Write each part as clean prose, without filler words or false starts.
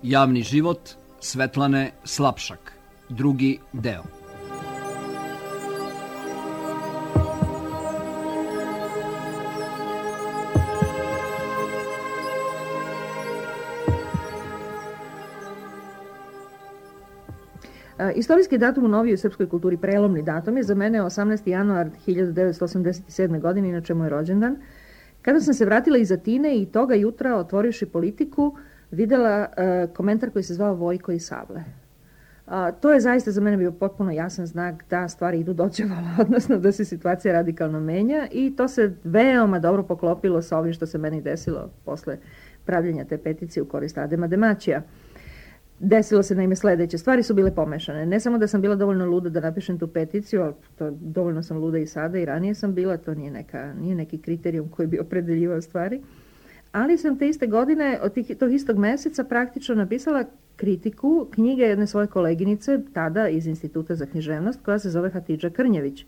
Javni život Svetlane Slapšak, drugi deo. Istorijski datum u novijoj srpskoj kulturi, prelomni datum, je za mene 18. januar 1987. godine, inače moj rođendan, kada sam se vratila iz Atine i toga jutra, otvorivši Politiku, videla komentar koji se zvao Vojko i Sable. To je zaista za mene bio potpuno jasan znak da stvari idu dođevala, odnosno da se situacija radikalno menja, i to se veoma dobro poklopilo sa ovim što se meni desilo posle pravljenja te peticije u korist Adema Demaćija. Desilo se naime sledeće. Stvari su bile pomešane. Ne samo da sam bila dovoljno luda da napišem tu peticiju, ali dovoljno sam luda i sada i ranije sam bila, to nije neki kriterijum koji bi opredeljivao stvari. Ali sam te iste godine, od tog istog meseca, praktično napisala kritiku knjige jedne svoje koleginice, tada iz Instituta za književnost, koja se zove Hatidža Krnjević,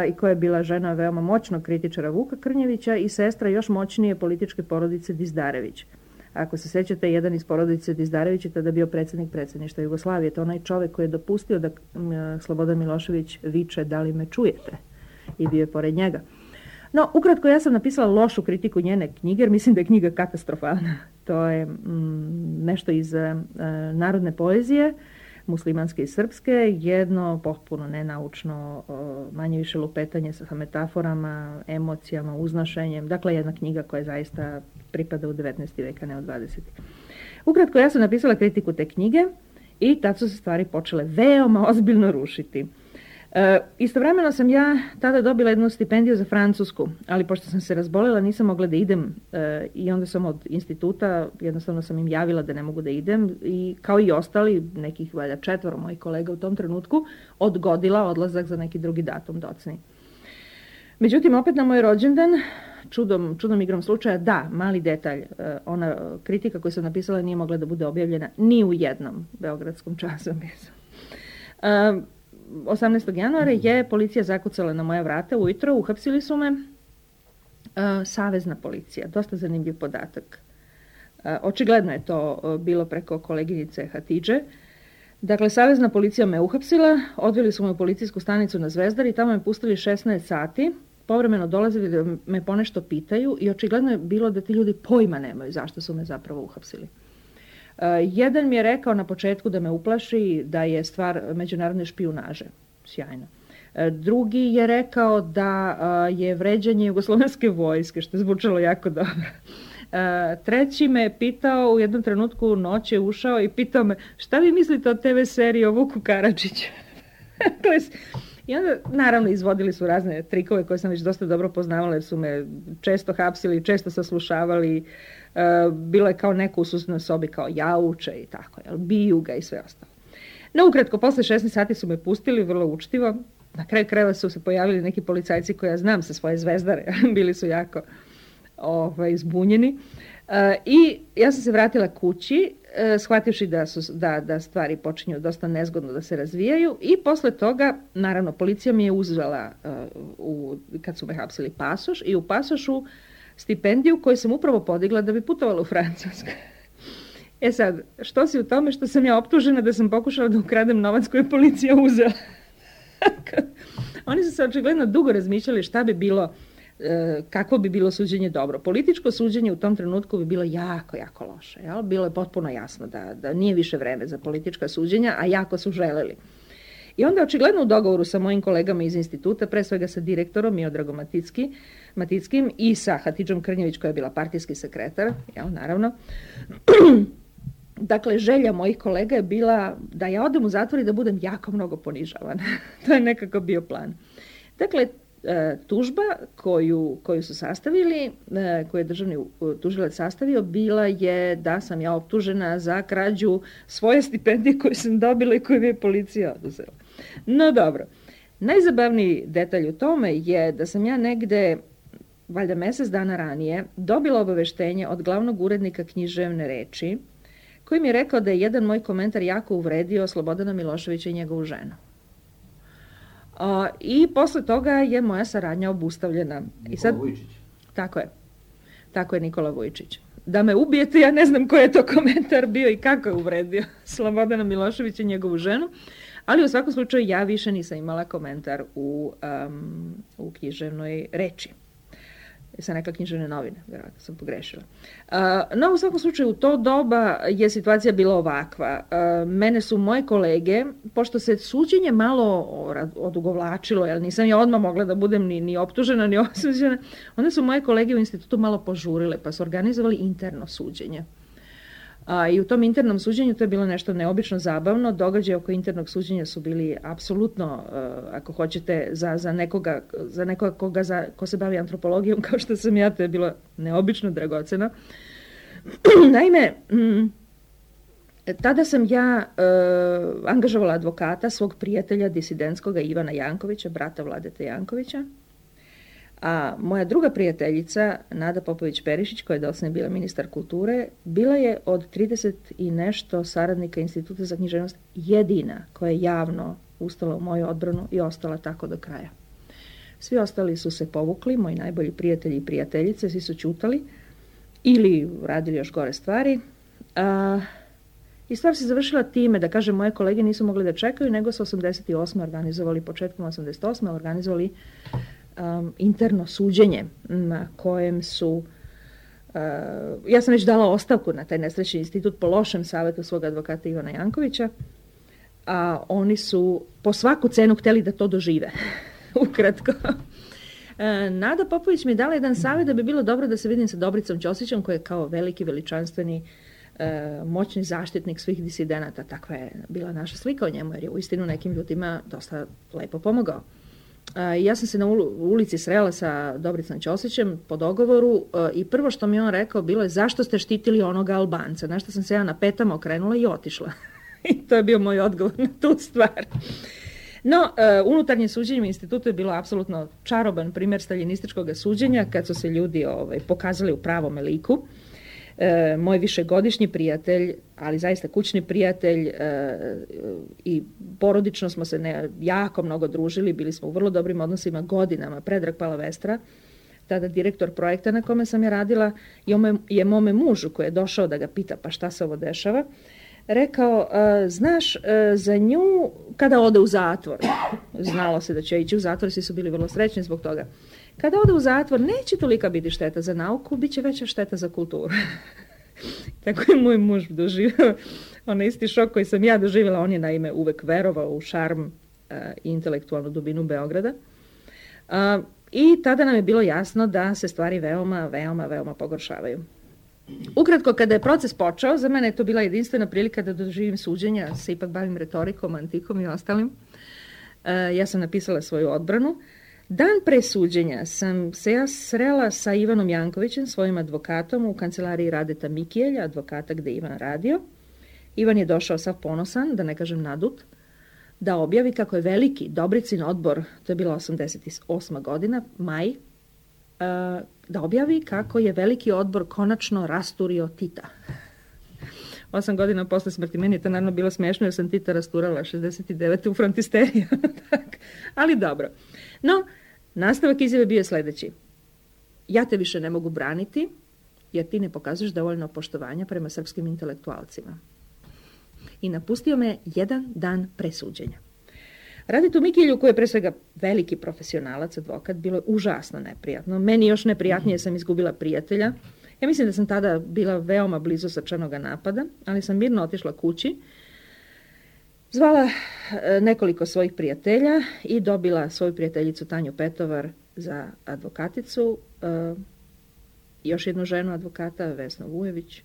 i koja je bila žena veoma moćnog kritičara Vuka Krnjevića i sestra još moćnije političke porodice Dizdarević. Ako se sećate, jedan iz porodice Dizdarević je tada bio predsjednik predsjedništva Jugoslavije. To je onaj čovjek koji je dopustio da Slobodan Milošević viče "da li me čujete?" i bio je pored njega. No, ukratko, ja sam napisala lošu kritiku njene knjige, jer mislim da je knjiga katastrofalna. To je nešto iz narodne poezije, muslimanske i srpske, jedno potpuno nenaučno, manje više lupetanje sa metaforama, emocijama, uznašenjem. Dakle, jedna knjiga koja zaista pripada u 19. veka, ne u 20. Ukratko, ja sam napisala kritiku te knjige i tad su se stvari počele veoma ozbiljno rušiti. Istovremeno sam ja tada dobila jednu stipendiju za Francusku, ali pošto sam se razbolila nisam mogla da idem i onda sam od instituta, jednostavno sam im javila da ne mogu da idem i kao i ostali, nekih valjda 4 mojih kolega u tom trenutku, odgodila odlazak za neki drugi datum docni. Međutim, opet na moj rođendan, čudom igrom slučaja, da, mali detalj, ona kritika koju sam napisala nije mogla da bude objavljena ni u jednom beogradskom časopisu. 18. januara je policija zakucala na moja vrata ujutro, uhapsili su me, savezna policija, dosta zanimljiv podatak. Očigledno je to bilo preko koleginice Hatidže. Dakle, savezna policija me uhapsila, odveli su me u policijsku stanicu na Zvezdari i tamo me pustili 16 sati, povremeno dolazili da me ponešto pitaju i očigledno je bilo da ti ljudi pojma nemaju zašto su me zapravo uhapsili. Jedan mi je rekao na početku da me uplaši, da je stvar međunarodne špijunaže. Sjajno. Drugi je rekao da je vređanje jugoslovenske vojske, što je zvučalo jako dobro. Treći me je pitao, u jednom trenutku noć je ušao i pitao me šta vi mislite o TV seriji o Vuku Karadžiću? I onda, naravno, izvodili su razne trikove koje sam već dosta dobro poznavala, jer su me često hapsili, često saslušavali. Bilo je kao neko u susjednoj sobi kao jauče i tako, biju ga i sve ostalo. No, ukratko, posle 16 sati su me pustili, vrlo učtivo. Na kraju krajeva su se pojavili neki policajci koje ja znam sa svoje Zvezdare, bili su jako zbunjeni. I ja sam se vratila kući, shvativši da stvari počinju dosta nezgodno da se razvijaju, i posle toga, naravno, policija mi je uzela, kad su me hapsili, pasoš, i u pasošu stipendiju koju sam upravo podigla da bi putovala u Francusku. Sad, što si u tome što sam ja optužena da sam pokušala da ukradem novac koji je policija uzela? Oni su se očigledno dugo razmišljali šta bi bilo, kako bi bilo suđenje dobro. Političko suđenje u tom trenutku bi bilo jako, jako loše. Jel? Bilo je potpuno jasno da nije više vreme za politička suđenja, a jako su želeli. I onda očigledno u dogovoru sa mojim kolegama iz instituta, pre svega sa direktorom Miodragom Matickim i sa Hatidžom Krnjević koja je bila partijski sekretar, naravno. Dakle, želja mojih kolega je bila da ja odem u zatvor i da budem jako mnogo ponižavana. To je nekako bio plan. Dakle, tužba koju su sastavili, koju je državni tužilac sastavio, bila je da sam ja optužena za krađu svoje stipendije koje sam dobila i koje mi je policija oduzela. No dobro, najzabavniji detalj u tome je da sam ja negde, valjda mesec dana ranije, dobila obaveštenje od glavnog urednika Književne reči, koji mi je rekao da je jedan moj komentar jako uvredio Slobodana Miloševića i njegovu ženu. I posle toga je moja saradnja obustavljena. Nikola Vujčić. Tako je, Nikola Vujčić. da me ubijete, ja ne znam koji je to komentar bio i kako je uvredio Slobodana Miloševića i njegovu ženu, ali u svakom slučaju ja više nisam imala komentar u književnoj reči. Sam rekla književne novine, vjerojatno sam pogrešila. No, u svakom slučaju, u to doba je situacija bila ovakva. Mene su moje kolege, pošto se suđenje malo odugovlačilo, jer nisam ja odmah mogla da budem ni optužena, ni osuđena, onda su moje kolege u institutu malo požurile, pa su organizovali interno suđenje. I u tom internom suđenju to je bilo nešto neobično zabavno. Događaje oko internog suđenja su bili apsolutno, ako hoćete, za nekoga ko se bavi antropologijom, kao što sam ja, to je bilo neobično dragoceno. Naime, tada sam ja angažovala advokata, svog prijatelja disidentskoga Ivana Jankovića, brata Vladete Jankovića. A moja druga prijateljica, Nada Popović-Perišić, koja je doslovno bila ministar kulture, bila je od 30 i nešto saradnika Instituta za književnost jedina koja je javno ustala u moju odbranu i ostala tako do kraja. Svi ostali su se povukli, moji najbolji prijatelji i prijateljice, svi su ćutali ili radili još gore stvari. I stvar se završila time, da kažem, moje kolege nisu mogli da čekaju, nego su 88. organizovali, početkom 88. organizovali interno suđenje na kojem su, ja sam već dala ostavku na taj nesrećni institut po lošem savjetu svog advokata Ivana Jankovića, a oni su po svaku cenu htjeli da to dožive. Ukratko. Nada Popović mi je dala jedan savjet da bi bilo dobro da se vidim sa Dobricom Ćosićem, koji je kao veliki, veličanstveni, moćni zaštitnik svih disidenata. Takva je bila naša slika o njemu, jer je uistinu nekim ljudima dosta lepo pomogao. Ja sam se na ulici srela sa Dobricom Ćosićem po dogovoru i prvo što mi on rekao bilo je zašto ste štitili onoga Albanca, na što sam se ja na petama okrenula i otišla. I to je bio moj odgovor na tu stvar. No, unutarnje suđenje u institutu je bilo apsolutno čaroban primjer staljinističkog suđenja kad su se ljudi pokazali u pravome liku. Moj višegodišnji prijatelj, ali zaista kućni prijatelj i porodično smo se jako mnogo družili, bili smo u vrlo dobrim odnosima godinama. Predrag Palavestra, tada direktor projekta na kome sam ja radila, je mome mužu koji je došao da ga pita pa šta se ovo dešava, rekao, znaš, za nju kada ode u zatvor, znalo se da će ići u zatvor, svi su bili vrlo srećni zbog toga. Kada ode u zatvor, neće tolika biti šteta za nauku, bit će veća šteta za kulturu. Tako je moj muž doživio onaj isti šok koji sam ja doživjela. On je naime uvek verovao u šarm i intelektualnu dubinu Beograda. I tada nam je bilo jasno da se stvari veoma pogoršavaju. Ukratko, kada je proces počeo, za mene je to bila jedinstvena prilika da doživim suđenja, se ipak bavim retorikom, antikom i ostalim. Ja sam napisala svoju odbranu. Dan pre suđenja sam se ja srela sa Ivanom Jankovićem, svojim advokatom, u kancelariji Radeta Mikijelja, advokata gde Ivan radio. Ivan je došao sav ponosan, da ne kažem nadut, da objavi kako je veliki Dobricin odbor, to je bila 88. godina, maj, da objavi kako je veliki odbor konačno rasturio Tita. 8 godina posle smrti. Meni je to naravno bilo smiješno jer sam Tita rasturala 69. u frontisteriju. Ali dobro. No, nastavak izjave bio je sljedeći. Ja te više ne mogu braniti jer ti ne pokazuješ dovoljno poštovanja prema srpskim intelektualcima. I napustio me jedan dan pre suđenja. Raditi u Mikilju, koji je pre svega veliki profesionalac, advokat, bilo je užasno neprijatno. Meni još neprijatnije, sam izgubila prijatelja. Ja mislim da sam tada bila veoma blizu srčanoga napada, ali sam mirno otišla kući, zvala nekoliko svojih prijatelja i dobila svoju prijateljicu Tanju Petovar za advokaticu, još jednu ženu advokata, Vesnu Vujević.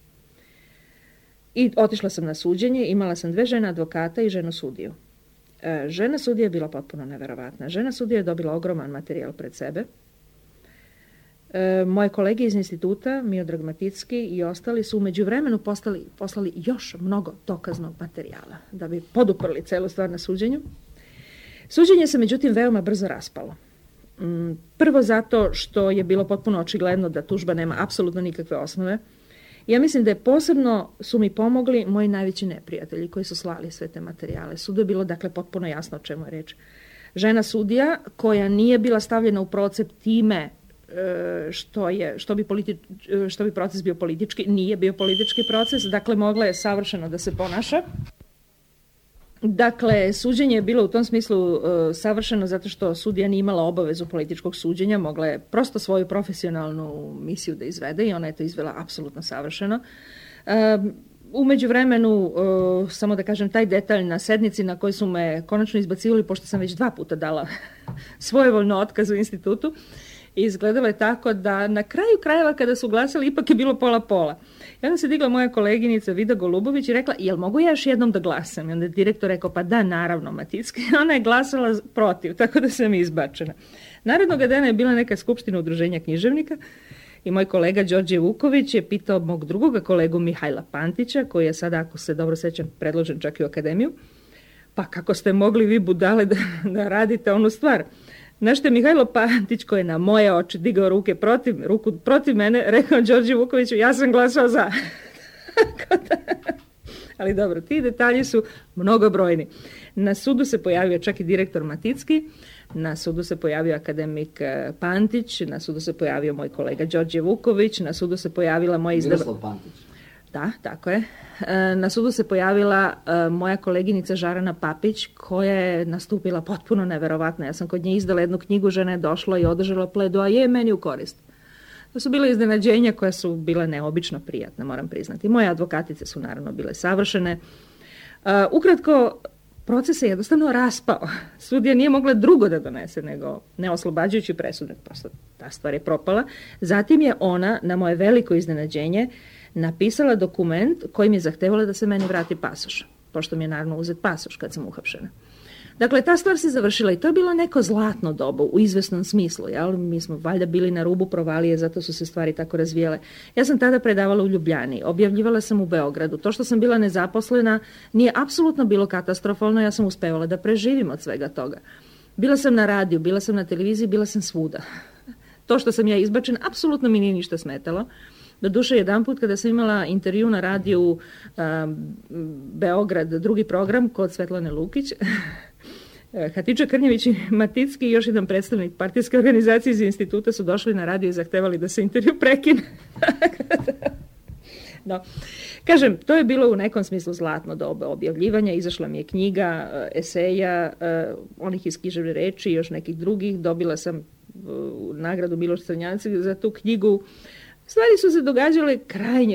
I otišla sam na suđenje, imala sam 2 žene advokata i ženu sudiju. Žena sudija je bila potpuno neverovatna. Žena sudija je dobila ogroman materijal pred sebe. Moje kolege iz instituta, Miodrag Maticki i ostali, su u međuvremenu poslali još mnogo dokaznog materijala da bi poduprli celu stvar na suđenju. Suđenje se međutim veoma brzo raspalo. Prvo zato što je bilo potpuno očigledno da tužba nema apsolutno nikakve osnove. Ja mislim da je posebno su mi pomogli moji najveći neprijatelji koji su slali sve te materijale. Sudu je bilo dakle potpuno jasno o čemu je reč. Žena sudija koja nije bila stavljena u procep time što bi proces bio politički. Nije bio politički proces, dakle mogla je savršeno da se ponaša. Dakle, suđenje je bilo u tom smislu savršeno zato što sudija nije imala obavezu političkog suđenja, mogla je prosto svoju profesionalnu misiju da izvede i ona je to izvela apsolutno savršeno. U međuvremenu, samo da kažem, taj detalj na sednici na kojoj su me konačno izbacivali, pošto sam već 2 puta dala svojevoljno otkaz u institutu, izgledalo je tako da na kraju krajeva kada su glasali ipak je bilo pola-pola. I onda se digla moja koleginica Vida Golubović i rekla, jel mogu ja još jednom da glasam? I onda je direktor rekao, pa da, naravno, Maticki. Ona je glasala protiv, tako da sam izbačena. Narednog dana je bila neka skupština udruženja književnika i moj kolega Đorđe Vuković je pitao mog drugoga kolegu Mihajla Pantića, koji je sada, ako se dobro sećam, predložen čak i u akademiju, pa kako ste mogli vi budale da radite onu stvar? Znaš te, Mihajlo Pantić, koji je na moje oči digao ruku protiv mene, rekao Đorđe Vukoviću, ja sam glasao za. Ali dobro, ti detalji su mnogobrojni. Na sudu se pojavio čak i direktor Maticki, na sudu se pojavio akademik Pantić, na sudu se pojavio moj kolega Đorđe Vuković, na sudu se pojavila moja Miroslav Pantić. Da, tako je. Na sudu se pojavila moja koleginica Žarana Papić, koja je nastupila potpuno neverovatno. Ja sam kod nje izdala jednu knjigu, žena je došla i održala pledoaje meni u korist. To su bile iznenađenja koja su bile neobično prijatne, moram priznati. Moje advokatice su naravno bile savršene. Ukratko, proces se jednostavno raspao. Sudija nije mogla drugo da donese nego neoslobađajući presude. Prosto ta stvar je propala. Zatim je ona, na moje veliko iznenađenje, napisala dokument kojim je zahtevala da se meni vrati pasoš, pošto mi je naravno uzet pasoš kad sam uhapšena. Dakle, ta stvar se završila i to je bilo neko zlatno doba u izvesnom smislu. Jel? Mi smo valjda bili na rubu provalije, zato su se stvari tako razvijele. Ja sam tada predavala u Ljubljani, objavljivala sam u Beogradu. To što sam bila nezaposlena nije apsolutno bilo katastrofalno, ja sam uspevala da preživim od svega toga. Bila sam na radiju, bila sam na televiziji, bila sam svuda. To što sam ja izbačen, apsolutno mi nije ništa smetalo. Doduše, jedan put kada sam imala intervju na radiju Beograd, drugi program kod Svetlane Lukić, Hatice Krnjević i Maticki i još jedan predstavnik partijske organizacije iz instituta su došli na radio i zahtevali da se intervju prekine. No, kažem, to je bilo u nekom smislu zlatno doba objavljivanja. Izašla mi je knjiga, eseja, onih iz književne reči i još nekih drugih. Dobila sam nagradu Miloš Crnjanci za tu knjigu. Stvari su se događale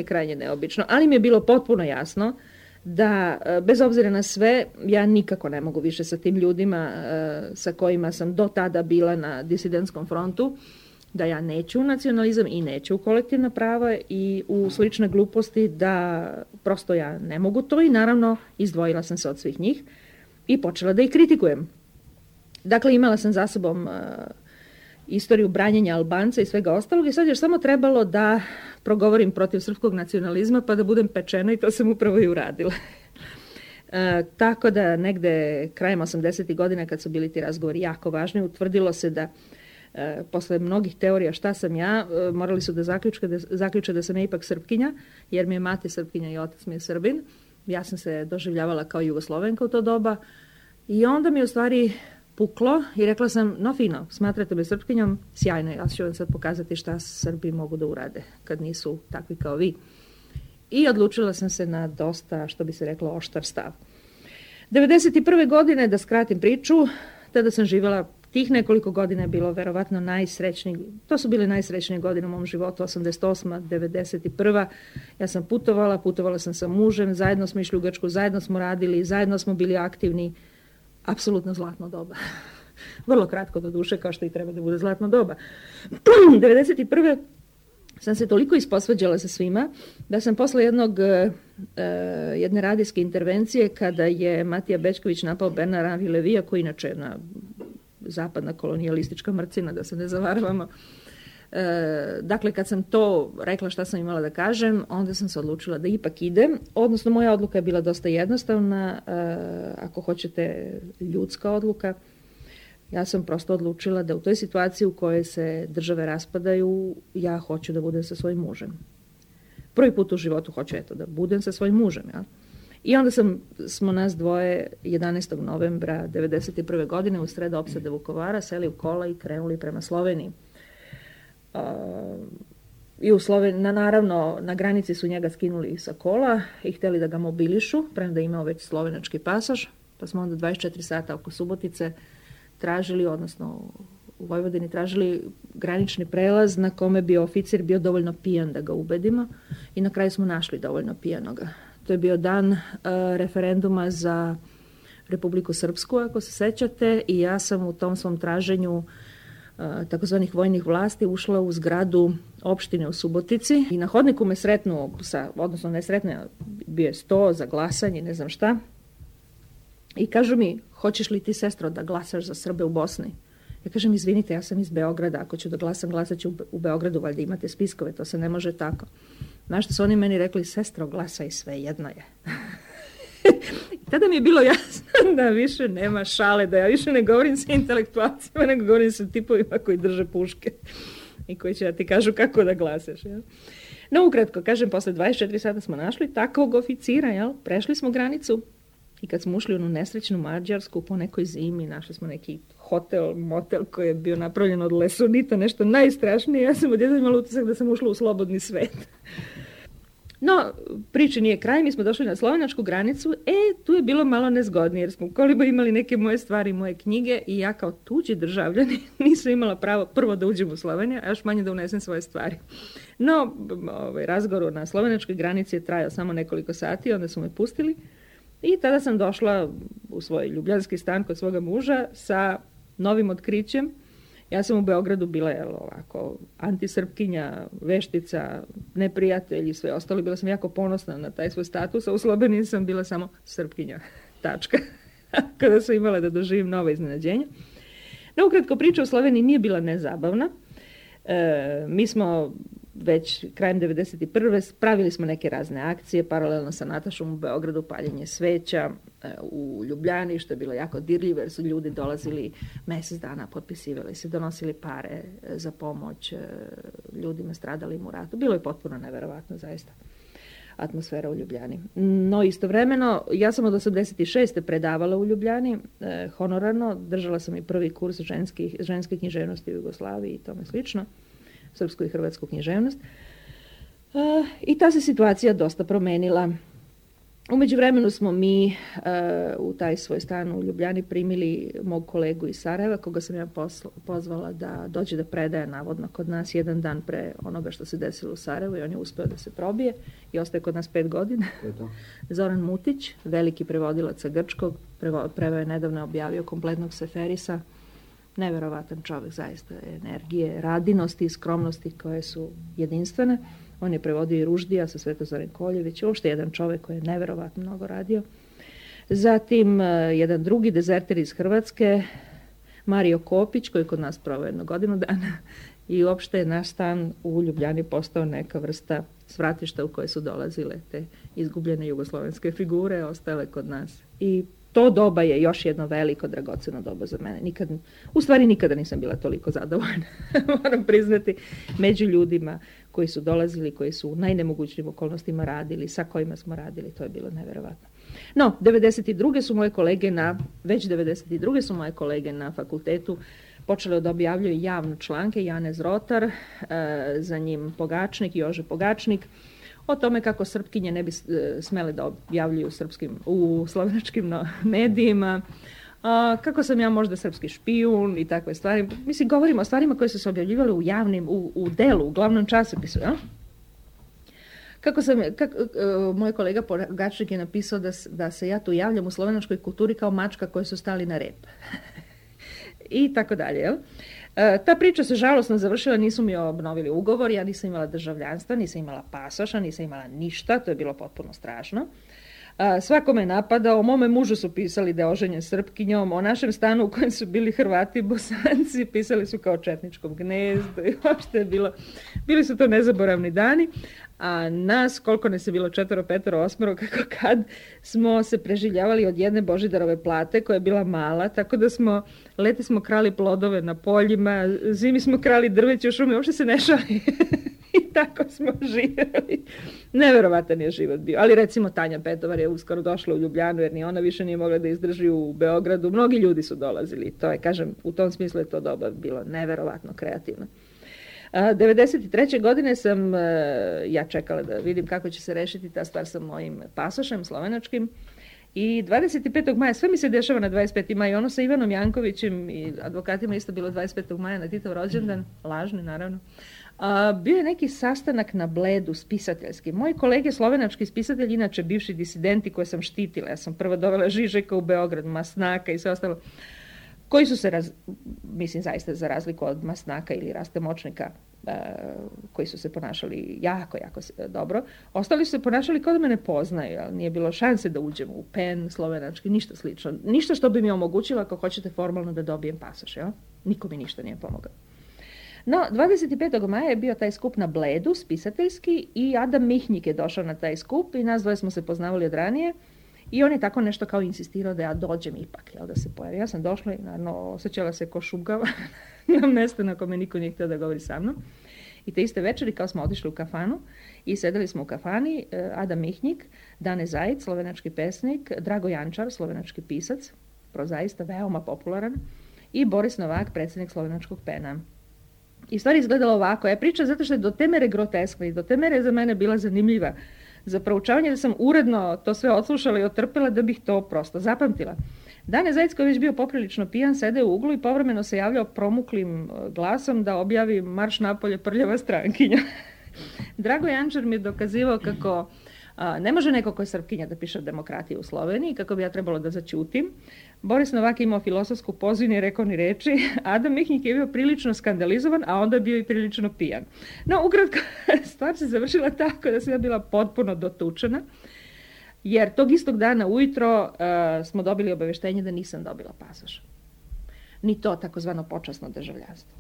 krajnje neobično, ali mi je bilo potpuno jasno da, bez obzira na sve, ja nikako ne mogu više sa tim ljudima sa kojima sam do tada bila na disidentskom frontu, da ja neću u nacionalizam i neću u kolektivna prava i u slične gluposti, da prosto ja ne mogu to i naravno izdvojila sam se od svih njih i počela da ih kritikujem. Dakle, imala sam za sobom istoriju branjenja Albanca i svega ostalog i sad je samo trebalo da progovorim protiv srpskog nacionalizma pa da budem pečena i to sam upravo i uradila. Tako da negde krajem 80. godina kad su bili ti razgovori jako važni, utvrdilo se da posle mnogih teorija šta sam ja, morali su da zaključe da sam ja ipak Srpkinja, jer mi je mati Srpkinja i otac mi je Srbin. Ja sam se doživljavala kao Jugoslovenka u to doba i onda mi u stvari puklo i rekla sam, no fino, smatrate me Srpkinjom, sjajno, ja ću vam sad pokazati šta Srbi mogu da urade kad nisu takvi kao vi. I odlučila sam se na dosta, što bi se reklo, oštar stav. 91. godine, da skratim priču, tada sam živjela, tih nekoliko godina je bilo verovatno najsrećniji, to su bile najsrećnije godine u mom životu, 88. 91. Ja sam putovala sam sa mužem, zajedno smo išli u Grčku, zajedno smo radili, zajedno smo bili aktivni, apsolutno zlatno doba. Vrlo kratko do duše, kao što i treba da bude zlatno doba. 91. sam se toliko isposvađala sa svima, da sam posle jedne radijske intervencije, kada je Matija Bećković napao Bernara Vilevija, koji inače je jedna zapadna kolonijalistička mrcina, da se ne zavaravamo. Dakle, kad sam to rekla šta sam imala da kažem, onda sam se odlučila da ipak idem. Odnosno, moja odluka je bila dosta jednostavna, ako hoćete ljudska odluka. Ja sam prosto odlučila da u toj situaciji u kojoj se države raspadaju, ja hoću da budem sa svojim mužem. Prvi put u životu hoću da budem sa svojim mužem. Ja? I onda smo nas dvoje 11. novembra 1991. godine u sred opsade Vukovara seli u kola i krenuli prema Sloveniji. I naravno, na granici su njega skinuli sa kola i htjeli da ga mobilišu, premda je imao već slovenački pasoš, pa smo onda 24 sata oko Subotice tražili, odnosno u Vojvodini tražili granični prelaz na kome bi oficir bio dovoljno pijan da ga ubedimo i na kraju smo našli dovoljno pijanoga. To je bio dan referenduma za Republiku Srpsku, ako se sećate, i ja sam u tom svom traženju takozvanih vojnih vlasti ušla u zgradu opštine u Subotici i na hodniku me sretnu, odnosno ne sretne, bio je sto za glasanje, ne znam šta, i kažu mi, hoćeš li ti, sestro, da glasaš za Srbe u Bosni? Ja kažem, izvinite, ja sam iz Beograda, ako ću da glasam, glasat ću u Beogradu, valjda imate spiskove, to se ne može tako. Znaš što su oni meni rekli, sestro, glasaj, sve jedno je. Tada mi je bilo jasno da više nema šale, da ja više ne govorim sa intelektualcima, nego govorim sa tipovima koji drže puške i koji će da ti kažu kako da glasaš. Jel? No, ukratko, kažem, posle 24 sata smo našli takvog oficira, jel? Prešli smo granicu i kad smo ušli u onu nesrećnu Mađarsku po nekoj zimi, našli smo neki hotel, motel koji je bio napravljen od lesonita, nešto najstrašnije. Ja sam odjednom imala utisak da sam ušla u slobodni svet. No, priče nije kraj, mi smo došli na slovenačku granicu, tu je bilo malo nezgodnije, jer smo koliko imali neke moje stvari, moje knjige i ja kao tuđi državljani nisam imala pravo prvo da uđem u Sloveniju, a još manje da unesem svoje stvari. No, razgovor na slovenačkoj granici je trajao samo nekoliko sati, onda su me pustili i tada sam došla u svoj ljubljanski stan kod svoga muža sa novim otkrićem. Ja sam u Beogradu bila ovako antisrpkinja, veštica, neprijatelj i sve ostalo. Bila sam jako ponosna na taj svoj status, a u Sloveniji sam bila samo srpkinja. Tačka. Kada sam imala da doživim nova iznenađenja. No, ukratko, priča u Sloveniji nije bila nezabavna. Mi smo već krajem 1991. pravili smo neke razne akcije, paralelno sa Natašom u Beogradu, paljenje sveća, u Ljubljani, što je bilo jako dirljivo, jer su ljudi dolazili mjesec dana, potpisivali se, donosili pare za pomoć ljudima stradalim u ratu. Bilo je potpuno neverovatno, zaista, atmosfera u Ljubljani. No, istovremeno, ja sam od 86. predavala u Ljubljani, honorarno, držala sam i prvi kurs ženske književnosti u Jugoslaviji i tome slično, srpsku i hrvatsku književnost. I ta se situacija dosta promenila. U međuvremenu smo mi u taj svoj stan u Ljubljani primili mog kolegu iz Sarajeva, koga sam ja pozvala da dođe da predaje navodno kod nas jedan dan pre onoga što se desilo u Sarajevu i on je uspeo da se probije i ostaje kod nas 5 godina. Zoran Mutić, veliki prevodilac sa grčkog, preveo je nedavno objavio kompletnog Seferisa. Neverovatan čovjek, zaista, energije, radinosti i skromnosti koje su jedinstvene. On je prevodio i Ruždija sa Svetozarem Koljević, uopšte jedan čovjek koji je neverovatno mnogo radio. Zatim jedan drugi dezerter iz Hrvatske, Mario Kopić, koji je kod nas proveo 1 godinu dana i uopšte je naš stan u Ljubljani postao neka vrsta svratišta u koje su dolazile te izgubljene jugoslovenske figure, ostale kod nas. I to doba je još jedno veliko, dragoceno doba za mene. Nikada nisam bila toliko zadovoljna, moram priznati, među ljudima koji su dolazili, koji su u najnemogućnijim okolnostima radili, sa kojima smo radili, to je bilo neverovatno. No, 92. su moje kolege na fakultetu počele da objavljuju javno članke, Janez Rotar, za njim Pogačnik, Jože Pogačnik, o tome kako Srpkinje ne bi smele da objavljuju u slovenačkim medijima, kako sam ja možda srpski špijun i takve stvari. Mislim, govorimo o stvarima koje su se objavljivale u javnim, u delu, u glavnom časopisu. Ja? Moj kolega Pogačnik je napisao da se ja tu javljam u slovenačkoj kulturi kao mačka koji su stali na rep. I tako dalje, jel? Ta priča se žalosno završila, nisu mi obnovili ugovor, ja nisam imala državljanstva, nisam imala pasoša, nisam imala ništa, to je bilo potpuno strašno. Svako me napadao, o mome mužu su pisali da je oženjen Srpkinjom, o našem stanu u kojem su bili Hrvati i Bosanci, pisali su kao četničkom gnezdu i uopšte je bili su to nezaboravni dani, a nas, koliko nas je bilo 4, 5, 8, kako kad, smo se preživljavali od jedne Božidarove plate koja je bila mala, tako da leti smo krali plodove na poljima, zimi smo krali drveće u šumi, uopšte se ne šali. I tako smo živjeli. Neverovatan je život bio. Ali recimo Tanja Petovar je uskoro došla u Ljubljanu jer ni ona više nije mogla da izdrži u Beogradu. Mnogi ljudi su dolazili. To je, kažem, u tom smislu je to doba bilo neverovatno kreativno. 1993. godine sam ja čekala da vidim kako će se rešiti ta stvar sa mojim pasošem slovenačkim. I 25. maja, sve mi se dešava na 25. maj, ono sa Ivanom Jankovićem i advokatima isto bilo 25. maja na Titov rođendan, lažni naravno. Bio je neki sastanak na Bledu spisateljski. Moji kolege slovenački spisatelji, inače bivši disidenti koje sam štitila, ja sam prvo dovela Žižeka u Beograd, Masnaka i sve ostalo, koji su se, mislim zaista za razliku od Masnaka ili Raste Močnika, koji su se ponašali jako dobro, ostali su se ponašali kao da me ne poznaju, ali nije bilo šanse da uđem u PEN slovenački, ništa slično. Ništa što bi mi omogućilo ako hoćete formalno da dobijem pasoš, jel? Niko mi ništa nije pomogao. No, 25. maja je bio taj skup na Bledu, spisateljski, i Adam Mihnjik je došao na taj skup i nas dvoje smo se poznavali od ranije i on je tako nešto kao insistirao da ja dođem ipak, jel, da se pojavim. Ja sam došla i naravno osjećala se ko šugava na mjestu na kome niko nije htio da govori sa mnom. I te iste večeri kao smo otišli u kafanu i sedeli smo u kafani, Adam Mihnjik, Dane Zajic, slovenački pesnik, Drago Jančar, slovenački pisac, prozaista veoma popularan, i Boris Novak, predsjednik slovenačkog PEN-a. I stvar izgledala ovako. Ja pričam zato što je do te mere groteskna i do te mere za mene bila zanimljiva za proučavanje, da sam uredno to sve odslušala i otrpela da bih to prosto zapamtila. Dane Zajic, koji je već bio poprilično pijan, sede u uglu i povremeno se javljao promuklim glasom da objavi marš napolje prljava strankinja. Drago Jančar mi je dokazivao kako ne može neko ko je Srpkinja da piše o demokratiji u Sloveniji, kako bi ja trebalo da zaćutim. Boris Novak je imao filosofsku poziju, nije rekao ni reči. Adam Mihnjik je bio prilično skandalizovan, a onda je bio i prilično pijan. No, ukratko, stvar se završila tako da sam ja bila potpuno dotučena, jer tog istog dana ujutro smo dobili obaveštenje da nisam dobila pasoš. Ni to takozvano počasno državljanstvo.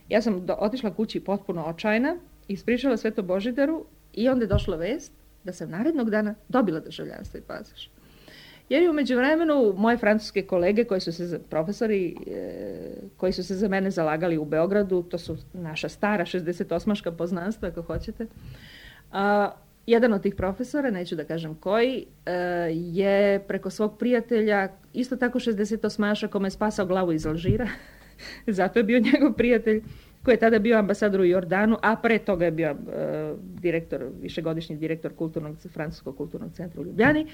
Ja sam otišla kući potpuno očajna, ispričala sve to Božidaru i onda je došla vest da sam narednog dana dobila državljanstvo i pasoš. Jer je u međuvremenu moje francuske kolege, profesori koji su se za mene zalagali u Beogradu, to su naša stara 68-ška poznanstva, ako hoćete, jedan od tih profesora, neću da kažem koji, je preko svog prijatelja, isto tako 68-ša, kome je spasao glavu iz Alžira, zato je bio njegov prijatelj, koji je tada bio ambasador u Jordanu, a pre toga je bio višegodišnji direktor Francuskog kulturnog centra u Ljubljani.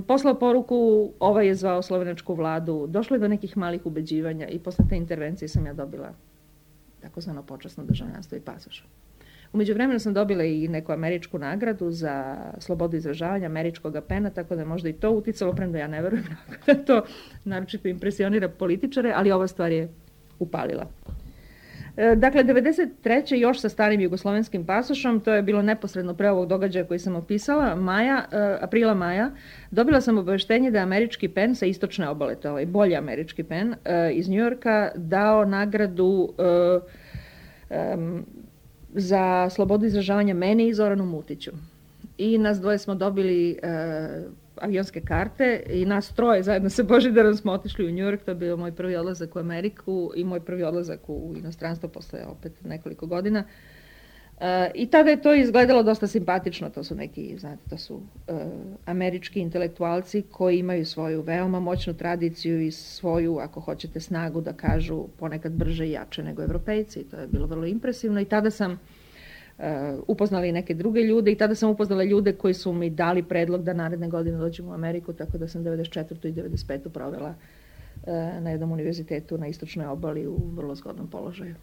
Poslao poruku, ovaj je zvao slovenačku vladu, došlo je do nekih malih ubeđivanja i posle te intervencije sam ja dobila takozvano počasno državljanstvo i pasoš. U međuvremenu sam dobila i neku američku nagradu za slobodu izražavanja američkog PEN-a, tako da je možda i to uticalo, premda ja ne verujem da to naročito impresionira političare, ali ova stvar je upalila. Dakle, 1993. još sa starim jugoslovenskim pasošom, to je bilo neposredno pre ovog događaja koji sam opisala, aprila maja, dobila sam obaveštenje da je američki PEN sa istočne obale, to je bolji američki PEN iz Njujorka, dao nagradu za slobodu izražavanja meni i Zoranu Mutiću. I nas dvoje smo dobili avionske karte i nas troje zajedno sa Božidarom smo otišli u New York, to je bio moj prvi odlazak u Ameriku i moj prvi odlazak u inostranstvo posle opet nekoliko godina. I tada je to izgledalo dosta simpatično, to su neki, znate, to su američki intelektualci koji imaju svoju veoma moćnu tradiciju i svoju, ako hoćete, snagu da kažu ponekad brže i jače nego Evropejci. To je bilo vrlo impresivno i tada sam upoznala i neke druge ljude i tada sam upoznala ljude koji su mi dali predlog da naredne godine dođem u Ameriku, tako da sam 94. i 95. provela na jednom univerzitetu na istočnoj obali u vrlo zgodnom položaju.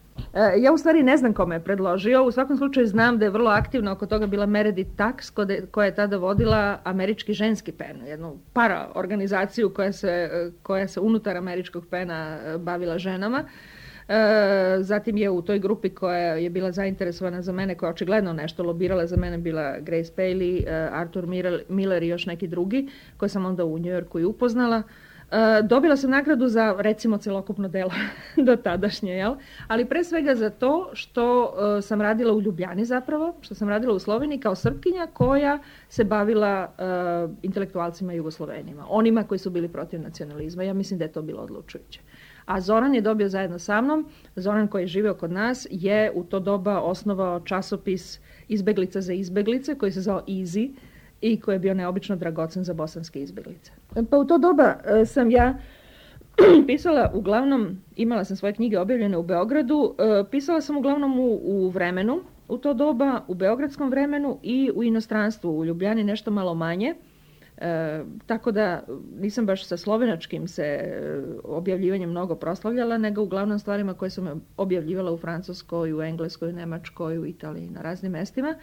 Ja u stvari ne znam kome je predložio, u svakom slučaju znam da je vrlo aktivno oko toga bila Meredith Tax, koja je tada vodila američki ženski PEN, jednu paraorganizaciju koja se unutar američkog PEN-a bavila ženama. Zatim je u toj grupi koja je bila zainteresovana za mene, koja je očigledno nešto lobirala za mene, bila Grace Paley, Arthur Miller i još neki drugi, koje sam onda u New Yorku i upoznala. Dobila sam nagradu za, recimo, celokupno delo do tadašnje, jel? Ali pre svega za to što sam radila u Ljubljani zapravo, što sam radila u Sloveniji kao Srpkinja koja se bavila intelektualcima Jugoslovenima, onima koji su bili protiv nacionalizma. Ja mislim da je to bilo odlučujuće. A Zoran je dobio zajedno sa mnom, Zoran koji je živeo kod nas, je u to doba osnovao časopis Izbeglica za izbeglice, koji se zvao Easy i koji je bio neobično dragocen za bosanske izbeglice. Pa u to doba sam ja pisala uglavnom, imala sam svoje knjige objavljene u Beogradu, pisala sam uglavnom u vremenu, u to doba, u beogradskom vremenu i u inostranstvu, u Ljubljani nešto malo manje. Tako da nisam baš sa slovenačkim se objavljivanjem mnogo proslavljala, nego uglavnom stvarima koje sam objavljivala u Francuskoj, u Engleskoj, u Nemačkoj, u Italiji, na raznim mestima.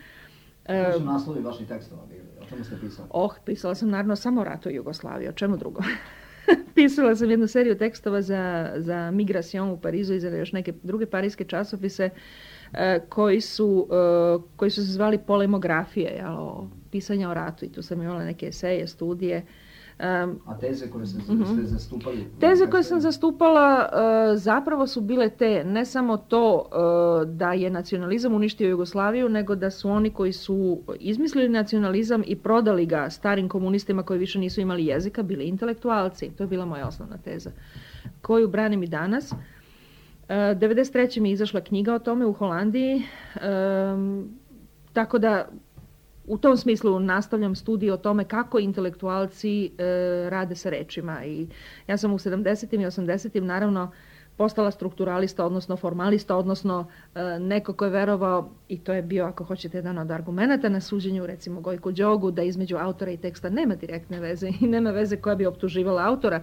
Koji su naslovi vaših tekstova bili? O čemu ste pisali? Pisala sam naravno samo o ratu Jugoslavije, o čemu drugo. Pisala sam jednu seriju tekstova za Migration u Parizu i za još neke druge parijske časopise koji su se zvali polemografije, pisanja o ratu, i tu sam imala neke eseje, studije. A teze koje ste zastupali? Teze koje sam zastupala zapravo su bile te, ne samo to da je nacionalizam uništio Jugoslaviju, nego da su oni koji su izmislili nacionalizam i prodali ga starim komunistima koji više nisu imali jezika, bili intelektualci. To je bila moja osnovna teza, koju branim i danas. 1993. mi je izašla knjiga o tome u Holandiji, tako da u tom smislu nastavljam studiju o tome kako intelektualci rade sa rečima. I ja sam u 70. i 80. naravno postala strukturalista, odnosno formalista, odnosno neko ko je verovao, i to je bio, ako hoćete, jedan od argumenata na suđenju, recimo Gojku Đogu, da između autora i teksta nema direktne veze i nema veze koja bi optuživala autora.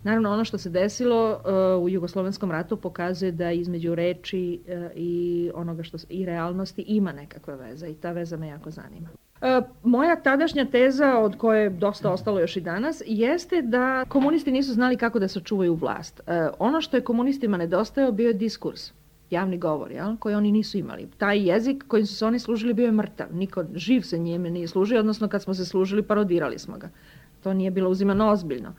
Naravno, ono što se desilo u Jugoslovenskom ratu pokazuje da između reči i onoga i realnosti ima nekakva veza i ta veza me jako zanima. Moja tadašnja teza, od koje je dosta ostalo još i danas, jeste da komunisti nisu znali kako da sačuvaju vlast. Ono što je komunistima nedostajao bio je diskurs, javni govor, koji oni nisu imali. Taj jezik kojim su se oni služili bio je mrtav. Niko živ se njime nije služio, odnosno kad smo se služili parodirali smo ga. To nije bilo uzimano ozbiljno.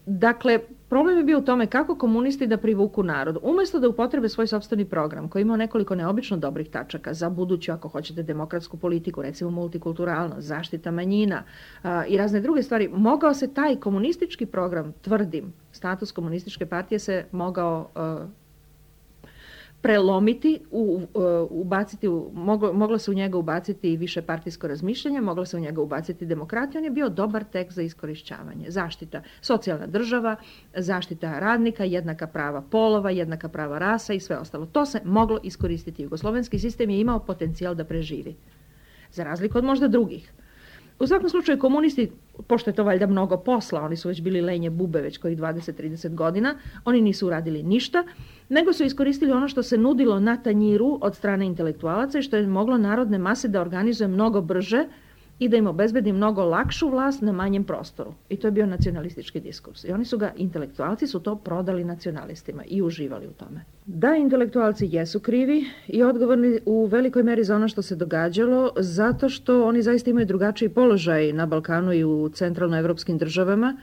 Dakle, problem je bio u tome kako komunisti da privuku narod. Umjesto da upotrebe svoj sopstveni program, koji ima nekoliko neobično dobrih tačaka za buduću, ako hoćete, demokratsku politiku, recimo multikulturalnost, zaštita manjina i razne druge stvari, mogao se taj komunistički program, tvrdim, status komunističke partije se mogao prelomiti, moglo se u njega ubaciti više partijsko razmišljanje, moglo se u njega ubaciti demokratija. On je bio dobar tekst za iskorišćavanje. Zaštita, socijalna država, zaštita radnika, jednaka prava polova, jednaka prava rasa i sve ostalo. To se moglo iskoristiti. Jugoslovenski sistem je imao potencijal da preživi. Za razliku od možda drugih. U svakom slučaju komunisti, pošto je to valjda mnogo posla, oni su već bili lenje bube već kojih 20-30 godina, oni nisu uradili ništa, nego su iskoristili ono što se nudilo na tanjiru od strane intelektualaca i što je moglo narodne mase da organizuje mnogo brže i da im obezbedi mnogo lakšu vlast na manjem prostoru. I to je bio nacionalistički diskurs. I oni su ga, intelektualci su to prodali nacionalistima i uživali u tome. Da, intelektualci jesu krivi i odgovorni u velikoj meri za ono što se događalo, zato što oni zaista imaju drugačiji položaj na Balkanu i u centralnoevropskim državama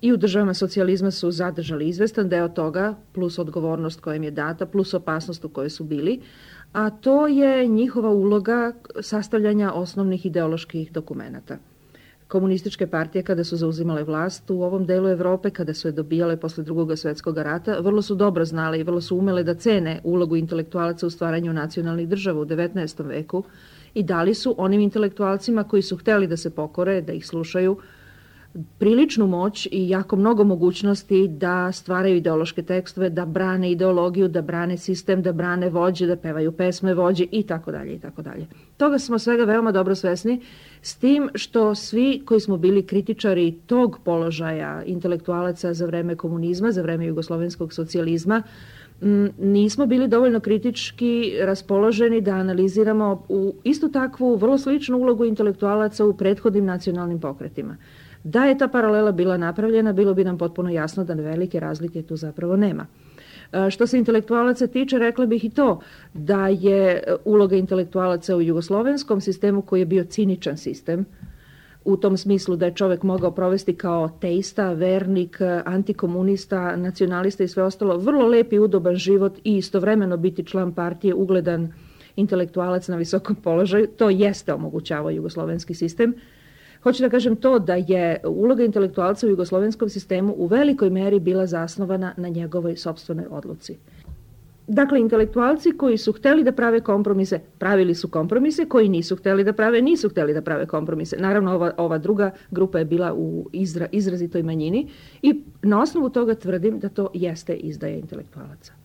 i u državama socijalizma su zadržali izvestan deo toga, plus odgovornost koja im je data, plus opasnost u kojoj su bili, a to je njihova uloga sastavljanja osnovnih ideoloških dokumenata. Komunističke partije kada su zauzimale vlast u ovom delu Evrope, kada su je dobijale posle Drugog svjetskog rata, vrlo su dobro znale i vrlo su umele da cene ulogu intelektualaca u stvaranju nacionalnih država u 19. veku i dali su onim intelektualcima koji su hteli da se pokore, da ih slušaju, priličnu moć i jako mnogo mogućnosti da stvaraju ideološke tekstove, da brane ideologiju, da brane sistem, da brane vođe, da pevaju pesme vođe i tako dalje i tako dalje. Toga smo svega veoma dobro svesni, s tim što svi koji smo bili kritičari tog položaja intelektualaca za vreme komunizma, za vreme jugoslovenskog socijalizma, nismo bili dovoljno kritički raspoloženi da analiziramo istu takvu vrlo sličnu ulogu intelektualaca u prethodnim nacionalnim pokretima. Da je ta paralela bila napravljena, bilo bi nam potpuno jasno da velike razlike tu zapravo nema. Što se intelektualaca tiče, rekla bih i to da je uloga intelektualaca u jugoslovenskom sistemu, koji je bio ciničan sistem, u tom smislu da je čovjek mogao provesti kao teista, vernik, antikomunista, nacionalista i sve ostalo, vrlo lep i udoban život i istovremeno biti član partije, ugledan intelektualac na visokom položaju, to jeste omogućavao jugoslovenski sistem. Hoću da kažem to da je uloga intelektualca u jugoslovenskom sistemu u velikoj meri bila zasnovana na njegovoj sopstvenoj odluci. Dakle, intelektualci koji su hteli da prave kompromise, pravili su kompromise, koji nisu hteli da prave, nisu hteli da prave kompromise. Naravno, ova druga grupa je bila u izrazitoj manjini i na osnovu toga tvrdim da to jeste izdaja intelektualaca.